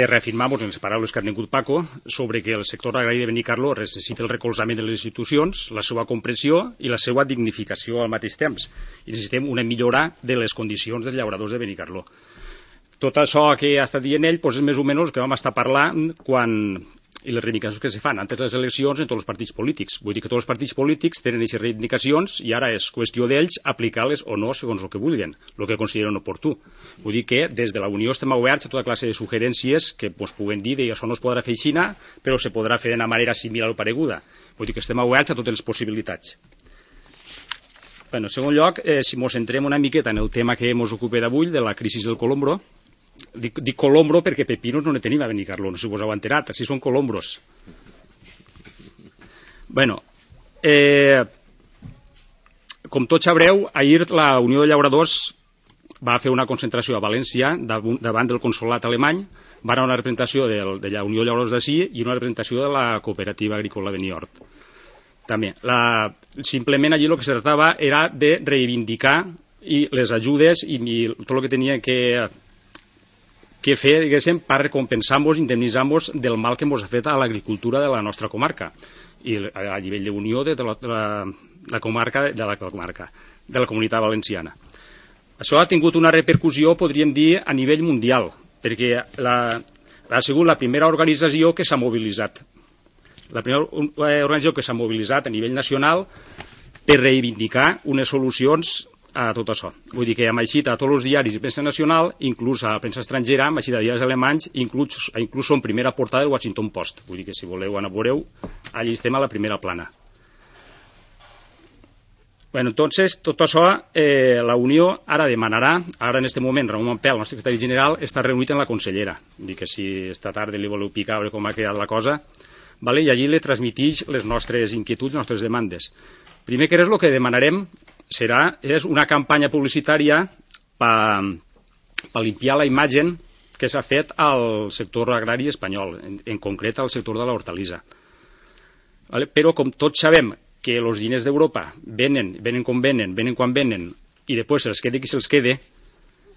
reafirmamos en les paraules que ha tingut Paco sobre que el sector agrari de Benicarló necessita el recolzament de les institucions, la seva comprensió i la seva dignificació al mateix temps. I necessitem una millora de les condicions dels llauradors de Benicarló. Tot això que ha estat dient ell és més o menys que vam estar parlant i les reivindicacions que se fan antes de les eleccions en tots els partits polítics. Vull dir que tots els partits polítics tenen aquestes reivindicacions i ara és qüestió d'ells aplicar-les o no segons el que vulguin, el que consideren oportú. Vull dir que des de la Unió estem oberts a tota classe de suggerències que puguen dir que això no es podrà fer així, però se podrà fer d'una manera similar o pareguda. Vull dir que estem oberts a totes les possibilitats. En segon lloc, si ens centrem una miqueta en el tema que ens ocupa d'avui, de la crisi del colombro. Dic colombro perquè pepinos no ne tenim a Benicarló, no sé si vos heu enterat, així són colombros. Com tots sabreu, ahir la Unió de Llauradors va fer una concentració a València davant del consolat alemany, va anar una representació de la Unió de Llauradors d'ací i una representació de la cooperativa agrícola de Niort. També, simplement allí el que se tractava era de reivindicar les ajudes i tot el que tenia que fer, diguéssim, per recompensar-nos, indemnitzar-nos del mal que ens ha fet a l'agricultura de la nostra comarca i a nivell d'unió de la comarca de la Comunitat Valenciana. Això ha tingut una repercussió, podríem dir, a nivell mundial, perquè ha sigut la primera organització que s'ha mobilitzat. La primera organització que s'ha mobilitzat a nivell nacional per reivindicar unes solucions a tot això. Vull dir que hem eixit a tots els diaris de premsa nacional, inclús a la premsa estrangera, hem eixit a diaris alemanys, inclús som primera portada del Washington Post. Vull dir que si voleu anar a veureu, allí estem a la primera plana. Entonces, tot això, la Unió ara demanarà, ara en aquest moment, Ramon Mampel, el nostre secretari general, està reunit amb la consellera. Vull dir que si esta tarda li voleu picar a veure com ha quedat la cosa, i allí li transmitix les nostres inquietuds, les nostres demandes. Primer que res, el que demanarem és una campanya publicitària per limpiar la imatge que s'ha fet al sector agrari espanyol, en concret al sector de l'hortalissa. Però com tots sabem que els diners d'Europa venen com venen quan venen i després se'ls quede qui se'ls quede,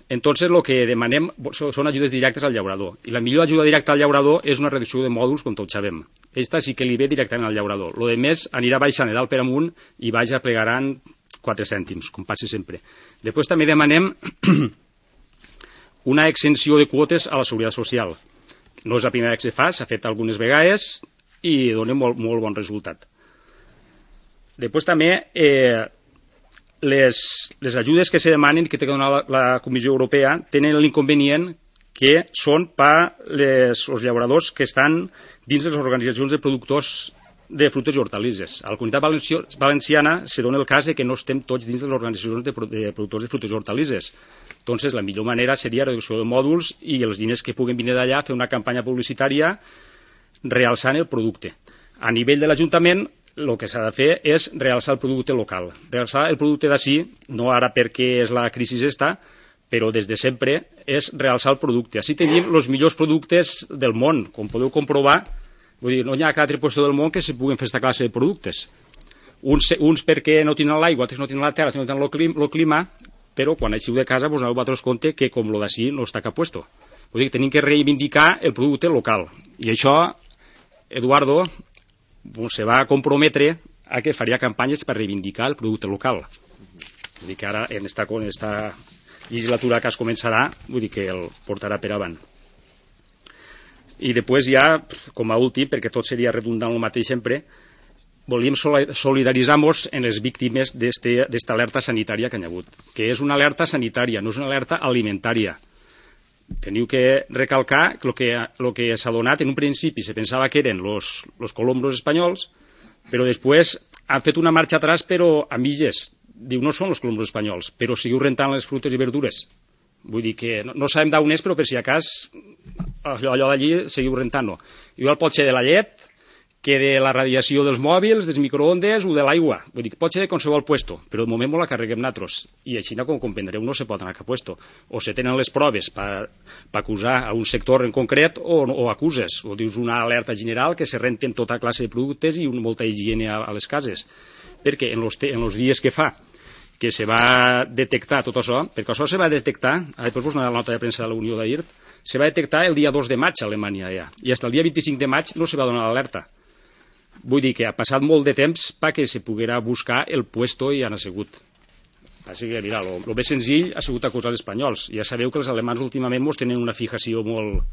entonces el que demanem són ajudes directes al llaurador. I la millor ajuda directa al llaurador és una reducció de mòduls, com tots sabem. Aquesta sí que li ve directament al llaurador. Lo de més anirà baixant de dalt per amunt i plegaran 4 cèntims, com passa sempre. Després també demanem una exenció de quotes a la Seguretat Social. No és la primera que se fa, s'ha fet algunes vegades i dona molt bon resultat. Després també les ajudes que se demanen que té que donar la Comissió Europea tenen l'inconvenient que són per els llauradors que estan dins de les organitzacions de productors de fruites i hortalisses. A la Comunitat Valenciana se dona el cas que no estem tots dins de les organitzacions de productors de fruites i hortalisses. Entonces, la millor manera seria reducció de mòduls i els diners que puguen venir d'allà fer una campanya publicitària realçant el producte. A nivell de l'Ajuntament, el que s'ha de fer és realçar el producte local. Realçar el producte d'ací, no ara perquè és la crisi esta, però des de sempre és realçar el producte. Així tenim els millors productes del món, com podeu comprovar. Vull dir, no hi ha cap altre lloc del món que se puguen fer aquesta classe de productes. Uns perquè no tenen l'aigua, altres no tenen la terra, no tenen el clima, però quan eixiu de casa vos aneu a vosaltres compte que com lo d'ací no està cap puesto. Vull dir que tenim que reivindicar el producte local. I això, Eduardo se va comprometre a que faria campanyes per reivindicar el producte local. Vull dir que ara, en esta legislatura que es començarà, vull dir que el portarà per avant. I després ja, com a últim, perquè tot seria redundant el mateix sempre, volíem solidaritzar-nos en les víctimes d'esta alerta sanitària que hi ha hagut, que és una alerta sanitària, no és una alerta alimentària. Teniu que recalcar que el que s'ha donat en un principi se pensava que eren els colombros espanyols, però després han fet una marxa atrás però a mitges. Diu, no són els colombros espanyols, però seguiu rentant les fruites i verdures. Vull dir que no sabem d'on és, però per si a cas allò d'allí seguiu rentant-ho. Igual pot ser de la llet, que de la radiació dels mòbils, dels microondes o de l'aigua. Vull dir que pot ser de qualsevol puesto, però de moment la carreguem nosaltres. I així, com comprendreu, no se pot anar a cap puesto. O se tenen les proves per acusar a un sector en concret o acuses. O dius una alerta general que se renten tota classe de productes i molta higiene a les cases. Perquè en els dies que fa que se va detectar tot això, perquè això se va detectar, després vos donaré la nota de premsa de la Unió d'ahir, se va detectar el dia 2 de maig a Alemanya ja, i fins el dia 25 de maig no se va donar l'alerta. Vull dir que ha passat molt de temps perquè se poguera buscar el puesto i han assegut. Així que, mira, el més senzill ha sigut acusar els espanyols. Ja sabeu que els alemans últimament mos tenen una fijació molt...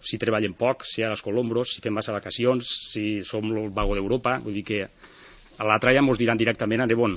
Si treballen poc, si a les colombros, si fem massa vacacions, si som el vago d'Europa, vull dir que a l'altre ja mos diran directament a Nebon.